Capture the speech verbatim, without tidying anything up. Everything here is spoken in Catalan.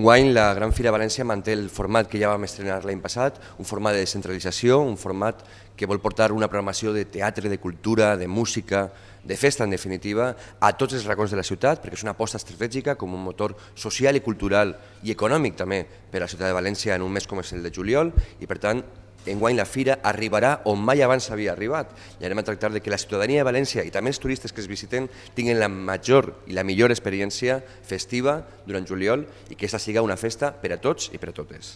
Enguany la Gran Fira València manté el format que ja vam estrenar l'any passat, un format de descentralització, un format que vol portar una programació de teatre, de cultura, de música, de festa en definitiva, a tots els racons de la ciutat, perquè és una aposta estratègica com un motor social i cultural i econòmic també per a la ciutat de València en un mes com és el de juliol, i per tant enguany la fira arribarà on mai abans havia arribat i anem a tractar de que la ciutadania de València i també els turistes que es visiten tinguin la major i la millor experiència festiva durant juliol i que aquesta siga una festa per a tots i per a totes.